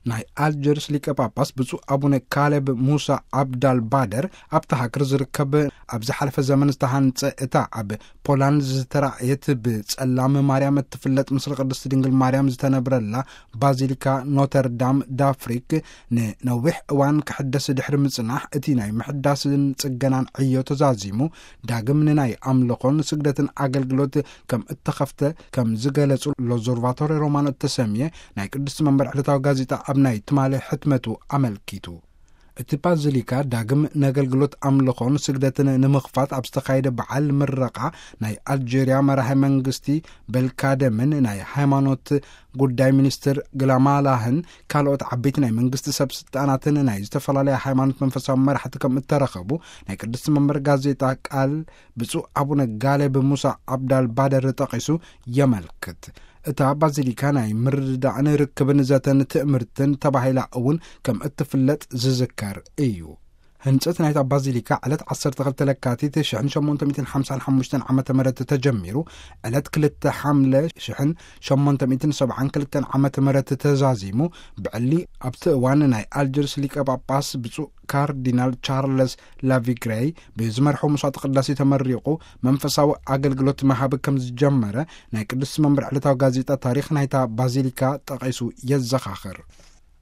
ናይ ኣልጀርስ ሊቀ ጳጳስ ብፁዕ ኣቡነ ካሌብ ሙሳ ኣብዳል ባደር፣ ኣብቲ ሃገር ዝርከብ ኣብ ዝሓለፈ ዘመን ዝተሃንጸ፣ እታ ኣብ ፖላንድ ዝተራእየት ብጸላም ማርያም እትፍለጥ፣ ምስለ ቅድስቲ ድንግል ማርያም ዝተነብረላ ባዚሊካ ኖተርዳም ዳፍሪክ፣ ንነዊሕ እዋን ክሕደስ ድሕሪ ምጽናሕ፣ እቲ ናይ ምሕዳስን ጽገናን ዕዮ ተዛዚሙ፣ ዳግም ንናይ ኣምልኾን ስግደትን ኣገልግሎት ከም እተኸፍተ ከም ዝገለጹ ሎዞርቫቶሪ ሮማኖ እተሰምየ ናይ ቅድስቲ መንበር ዕለታዊ ጋዜጣ ኣብ ናይ ትማሊ ሕትመቱ ኣመልኪቱ። እቲ ባዚሊካ ዳግም ነገልግሎት ኣምልኾን ስግደትን ንምኽፋት ኣብ ዝተኻየደ በዓል ምረቓ፣ ናይ ኣልጀርያ መራሒ መንግስቲ በልካደምን ናይ ሃይማኖት ጉዳይ ሚኒስትር ግላማላህን ካልኦት ዓበይቲ ናይ መንግስቲ ሰብ ስልጣናትን ናይ ዝተፈላለያ ሃይማኖት መንፈሳዊ መራሕቲ ከም እተረኸቡ ናይ ቅድስቲ መንበር ጋዜጣ ቃል ብፁዕ ኣቡነ ጋሌብ ሙሳ ኣብዳል ባደር ጠቒሱ የመልክት። እታ ባዚሊካ ናይ ምርድዳእን ርክብን ዘተን ትእምርትን ተባሂላ እውን ከም እትፍለጥ ዝዝከር እዩ። ህንጸት ናይታ ባዚሊካ ዕለት ዓሰርተ ክልተ ለካቲት ሽሕን ሸሞንተ ሚእትን ሓምሳን ሓሙሽተን ዓመተ ምህረት ተጀሚሩ፣ ዕለት ክልተ ሓምለ ሽሕን ሸሞንተ ሚእትን ሰብዓን ክልተን ዓመተ ምህረት ተዛዚሙ፣ ብዕሊ ኣብቲ እዋን ናይ ኣልጀርስ ሊቀ ጳጳስ ብፁዕ ካርዲናል ቻርለስ ላቪግሬይ ብዝመርሖ መስዋዕተ ቅዳሴ ተመሪቑ መንፈሳዊ ኣገልግሎት መሃብ ከም ዝጀመረ ናይ ቅድስቲ መንበር ዕለታዊ ጋዜጣ ታሪኽ ናይታ ባዚሊካ ጠቒሱ የዘኻኽር።